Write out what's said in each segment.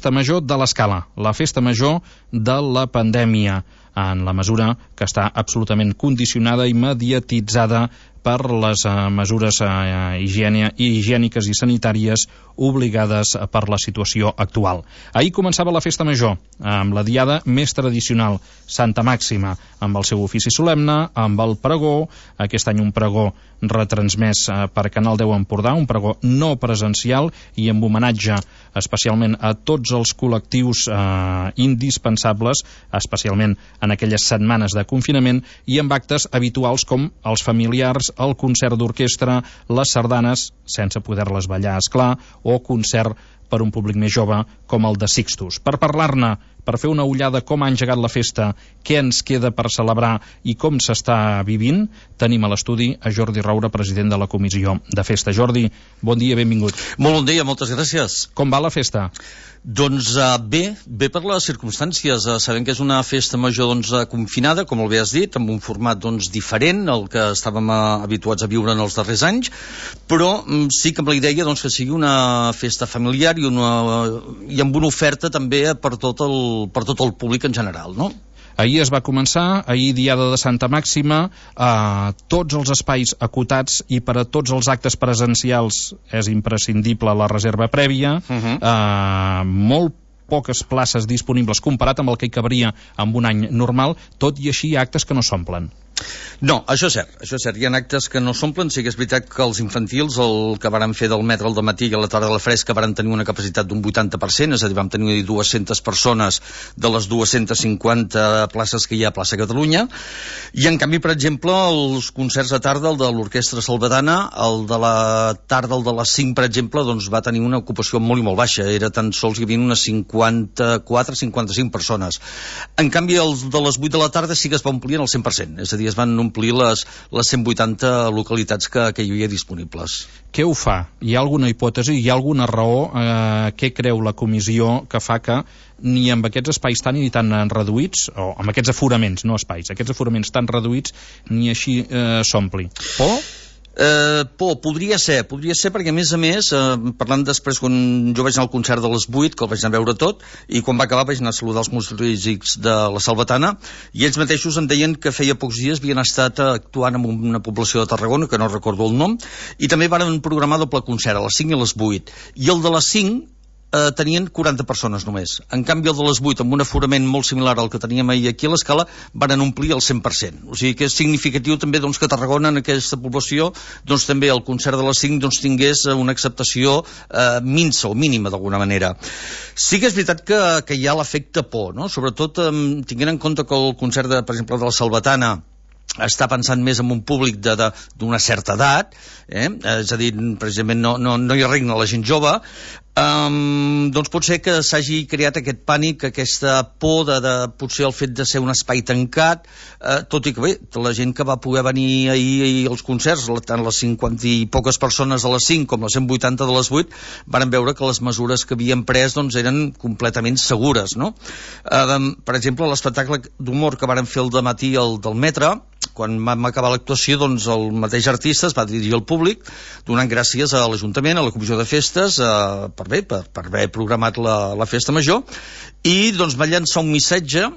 festa major de l'Escala, la festa major de la pandèmia, en la mesura que està absolutament condicionada i mediatitzada per les mesures higièniques i sanitàries obligades per la situació actual. Ahir començava la festa major, amb la diada més tradicional, Santa Màxima, amb el seu ofici solemne, amb el pregó, aquest any un pregó retransmès per Canal 10 Empordà, un pregó no presencial i amb homenatge especialment a tots els col·lectius indispensables, especialment en aquelles setmanes de confinament, i amb actes habituals com els familiars, el concert d'orquestra, les sardanes, sense poder-les ballar, esclar, o concert per un públic més jove com el de Sixtus. Per parlar-ne, per fer una ullada com ha engegat la festa, què ens queda per celebrar i com s'està vivint, tenim a l'estudi a Jordi Roura, president de la Comissió de Festa. Jordi, bon dia, benvingut. Molt bon dia, moltes gràcies. Com va la festa? Doncs bé per les circumstàncies. Sabem que és una festa major confinada, com bé has dit, amb un format diferent al que estàvem habituats a viure en els darrers anys, però sí que amb la idea que sigui una festa familiar i amb una oferta també per tot el públic en general, no? Ahir es va començar, ahir diada de Santa Màxima, tots els espais acotats i per a tots els actes presencials és imprescindible la reserva prèvia, molt poques places disponibles comparat amb el que hi cabria en un any normal, tot i així hi ha actes que no s'omplen. No, això és cert. Hi ha actes que no s'omplen. Sí que és veritat que els infantils, el que varen fer del Metre al dematí i a la tarda a la fresca, varen tenir una capacitat d'un 80%, és a dir, vam tenir 200 persones de les 250 places que hi ha a Plaça Catalunya, i en canvi, per exemple, els concerts de tarda, el de l'Orquestra Salvatana, el de la tarda, el de les 5, per exemple, doncs va tenir una ocupació molt i molt baixa, era tan sols hi havia unes 54-55 persones. En canvi, els de les 8 de la tarda sí que es va omplir en el 100%, és a dir, es van omplir les 180 localitats que hi havia disponibles. Què ho fa? Hi ha alguna hipòtesi, hi ha alguna raó? Què creu la comissió que fa que ni amb aquests espais tan i tan reduïts, o amb aquests aforaments, no espais, aquests aforaments tan reduïts, ni així s'ompli? Por? Podria ser perquè a més, parlant després, quan jo vaig anar al concert de les 8, que el vaig anar a veure tot, i quan va acabar vaig anar a saludar els músics de la Salvatana, i ells mateixos em deien que feia pocs dies havien estat actuant en una població de Tarragona, que no recordo el nom, i també van programar doble concert a les 5 i a les 8, i el de les 5 tenien 40 persones només. En canvi, el de les 8, amb un aforament molt similar al que teníem ahir aquí a l'Escala, van omplir el 100%. O sigui que és significatiu també que Tarragona, en aquesta població, també el concert de les 5 tingués una acceptació minsa o mínima, d'alguna manera. Sí que és veritat que hi ha l'efecte por, no? Sobretot tinguent en compte que el concert, per exemple, de la Salvatana està pensant més en un públic d'una certa edat, és a dir, precisament no hi regna la gent jove, doncs pot ser que s'hagi creat aquest pànic, aquesta por de potser el fet de ser un espai tancat, tot i que bé, la gent que va poder venir ahir als concerts, tant les 50 i poques persones de les 5 com les 180 de les 8, van veure que les mesures que havien pres eren completament segures, no? Per exemple, l'espectacle d'humor que varen fer el dematí del Metre, quan vam acabar l'actuació, el mateix artista es va dirigir al públic donant gràcies a l'Ajuntament, a la Comissió de Festes, per haver programat la festa major, i va llançar un missatge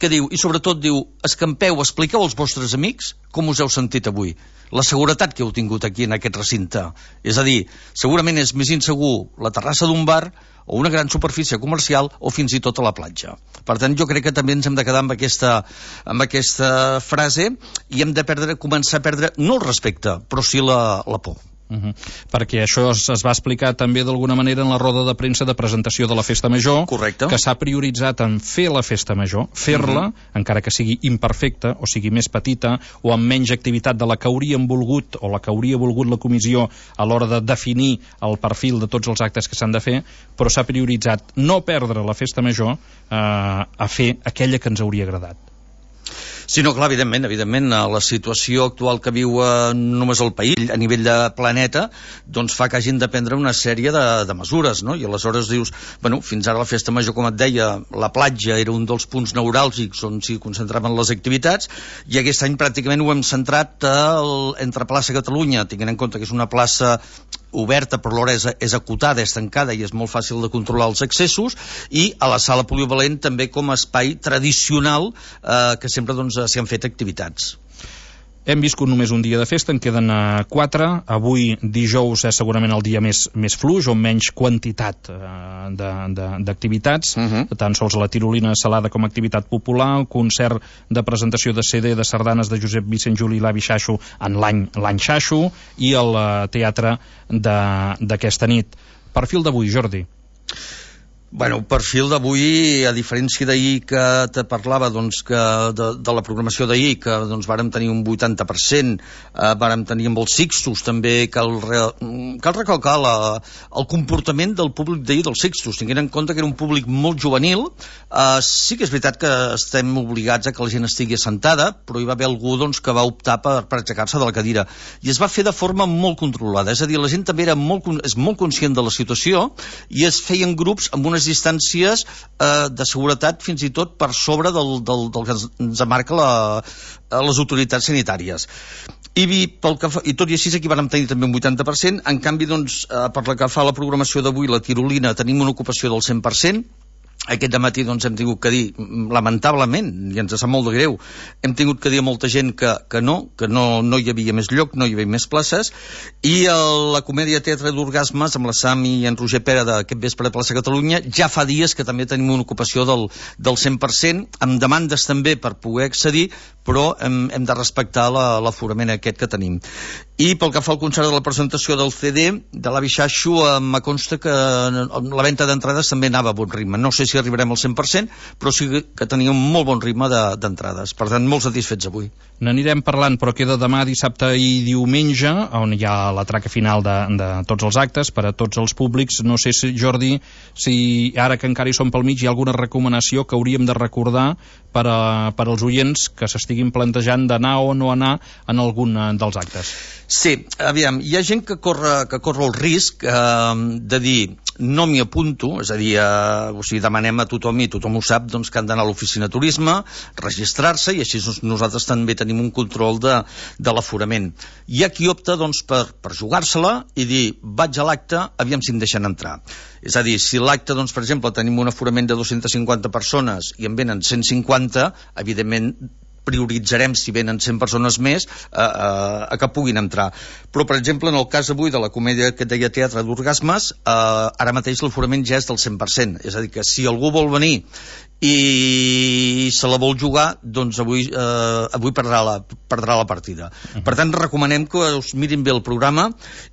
que diu, i sobretot diu, escampeu, expliqueu als vostres amics com us heu sentit avui, la seguretat que heu tingut aquí en aquest recinte. És a dir, segurament és més insegur la terrassa d'un bar o una gran superfície comercial o fins i tot a la platja. Per tant, jo crec que també ens hem de quedar amb aquesta frase i hem de començar a perdre no el respecte, però sí la por. Perquè això es va explicar també d'alguna manera en la roda de premsa de presentació de la festa major. Correcte. Que s'ha prioritzat en fer la festa major, fer-la, encara que sigui imperfecta o sigui més petita o amb menys activitat de la que hauríem volgut o la que hauria volgut la comissió a l'hora de definir el perfil de tots els actes que s'han de fer, però s'ha prioritzat no perdre la festa major a fer aquella que ens hauria agradat. Sí, no, clar, evidentment, la situació actual que viu només el país, a nivell de planeta, doncs fa que hagin de prendre una sèrie de mesures, no? I aleshores dius, bueno, fins ara la festa major, com et deia, la platja era un dels punts neuràlgics on s'hi concentraven les activitats, i aquest any pràcticament ho hem centrat entre Plaça Catalunya, tinguent en compte que és una plaça oberta però alhora és acotada, és tancada i és molt fàcil de controlar els accessos, i a la sala polivalent també com a espai tradicional que sempre doncs s'hi han fet activitats. Hem viscut només un dia de festa, en queden 4. Avui, dijous, és segurament el dia més fluix, o menys quantitat d'activitats. Tant sols la tirolina salada com a activitat popular, el concert de presentació de CD de sardanes de Josep Vicent Juli i l'Avi Xaixo en l'any Xaixo, i el teatre d'aquesta nit. Perfil d'avui, Jordi. Bueno, perfil d'avui, a diferència d'ahir que te parlava doncs, que de la programació d'ahir, que doncs, vàrem tenir un 80%, vàrem tenir amb els Sixtus, també cal recalcar el comportament del públic d'ahir dels Sixtus, tinguent en compte que era un públic molt juvenil. Sí que és veritat que estem obligats a que la gent estigui assentada, però hi va haver algú doncs, que va optar per aixecar-se de la cadira, i es va fer de forma molt controlada, és a dir, la gent també és molt conscient de la situació, i es feien grups amb unes distàncies de seguretat fins i tot per sobre del que ens marca les autoritats sanitàries. I tot i així aquí vam tenir també un 80%. En canvi, doncs, per la que fa la programació d'avui, la tirolina, tenim una ocupació del 100%. Aquest dematí doncs, hem tingut que dir, lamentablement, i ens sap molt de greu, hem tingut que dir a molta gent que no hi havia més lloc, no hi havia més places, i la comèdia Teatre d'Orgasmes, amb la Sam i en Roger Pera d'aquest vespre de Plaça Catalunya, ja fa dies que també tenim una ocupació del 100%, amb demandes també per poder accedir, però hem de respectar l'aforament aquest que tenim. I pel que fa al concert de la presentació del CD de l'Avi Xaixo, me consta que la venda d'entrades també anava a bon ritme. No sé si arribarem al 100%, però sí que tenia un molt bon ritme d'entrades. Per tant, molt satisfets avui. N'anirem parlant, però queda demà, dissabte i diumenge, on hi ha la traca final de tots els actes, per a tots els públics. No sé, Jordi, si ara que encara hi som pel mig, hi ha alguna recomanació que hauríem de recordar per als oients que s'estiguin plantejant d'anar o no anar en algun dels actes. Sí, aviam, hi ha gent que corre el risc de dir no m'hi apunto, és a dir, demanem a tothom, i tothom ho sap, doncs, que han d'anar a l'oficina de turisme, registrar-se, i així nosaltres també tenim un control de l'aforament. Hi ha qui opta doncs, per jugar-se-la i dir, vaig a l'acte, aviam si em deixen entrar. És a dir, si l'acte, doncs, per exemple, tenim un aforament de 250 persones i en venen 150, evidentment prioritzarem, si venen 100 persones més, a que puguin entrar. Però, per exemple, en el cas avui de la comèdia que et deia Teatre d'Orgasmes, ara mateix l'aforament ja és del 100%. És a dir, que si algú vol venir i se la vol jugar, doncs avui perdrà la partida. Per tant, recomanem que us mirin bé el programa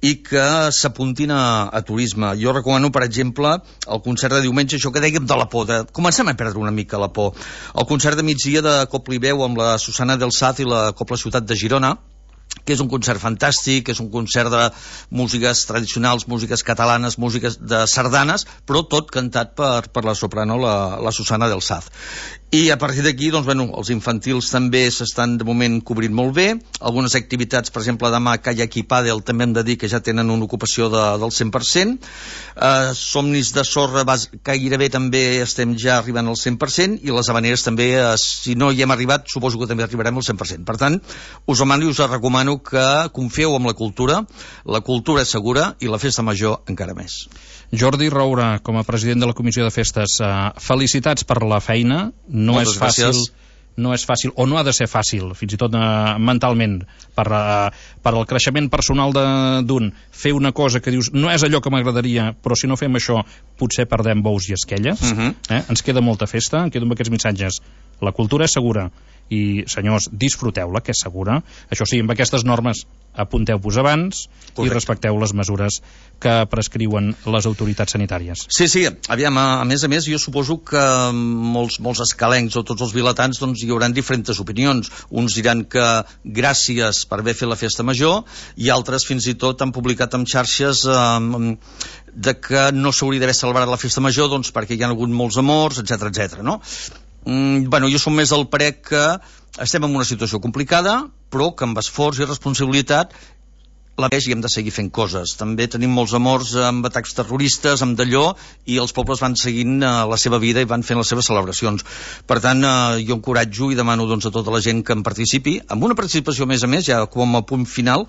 i que s'apuntin a turisme. Jo recomano, per exemple, el concert de diumenge, això que dèiem de la por, comencem a perdre una mica la por. El concert de migdia de Copla i Veu amb la Susana del Saz i la Copla Ciutat de Girona, que és un concert fantàstic, és un concert de músiques tradicionals, músiques catalanes, músiques de sardanes, però tot cantat per la soprano, la Susana del Saz. I a partir d'aquí, doncs, bueno, els infantils també s'estan de moment cobrint molt bé. Algunes activitats, per exemple, demà Kayak i Pàdel també hem de dir que ja tenen una ocupació del 100%. Somnis de sorra gairebé també estem ja arribant al 100%, i les havaneres també, si no hi hem arribat, suposo que també arribarem al 100%. Per tant, us demano i us recomano que confieu en la cultura és segura, i la festa major encara més. Jordi Roura, com a president de la Comissió de Festes, felicitats per la feina. No és fàcil, o no ha de ser fàcil, fins i tot mentalment, per al creixement personal d'un, fer una cosa que dius, no és allò que m'agradaria, però si no fem això, potser perdem bous i esquelles. Ens queda molta festa, em quedo amb aquests missatges. La cultura és segura, i, senyors, disfruteu-la, que és segura. Això sí, amb aquestes normes apunteu-vos abans. Correcte. I respecteu les mesures que prescriuen les autoritats sanitàries. Sí, aviam, a més, jo suposo que molts escalencs o tots els vilatans, doncs, hi haurà diferents opinions. Uns diran que gràcies per haver fet la festa major, i altres fins i tot han publicat en xarxes de que no s'hauria d'haver celebrat la festa major, doncs, perquè hi ha hagut molts amors, etc., no? Bueno, jo som més del parer que estem en una situació complicada, però que amb esforç i responsabilitat i hem de seguir fent coses. També tenim molts amors amb atacs terroristes, amb d'allò, i els pobles van seguint la seva vida i van fent les seves celebracions. Per tant, jo encoratjo i demano, doncs, a tota la gent que en participi, amb una participació, a més, ja com a punt final,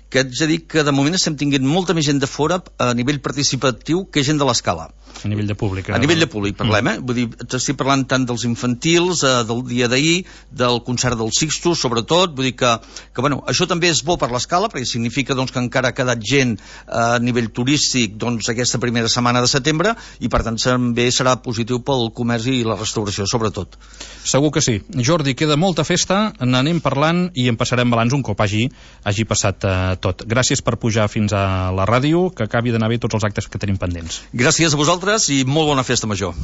que haig de dir que de moment estem tinguent molta més gent de fora a nivell participatiu que gent de l'escala. A nivell de públic. A nivell de públic parlem, Vull dir, estic parlant tant dels infantils, del dia d'ahir, del concert del Sixtus, sobretot, vull dir que bueno, això també és bo per l'escala, perquè significa doncs, que encara ha quedat gent a nivell turístic doncs, aquesta primera setmana de setembre, i per tant també serà positiu pel comerç i la restauració, sobretot. Segur que sí. Jordi, queda molta festa, n'anem parlant i en passarem balanç un cop hagi passat tot. Gràcies per pujar fins a la ràdio, que acabi d'anar bé tots els actes que tenim pendents. Gràcies a vosaltres i molt bona festa major.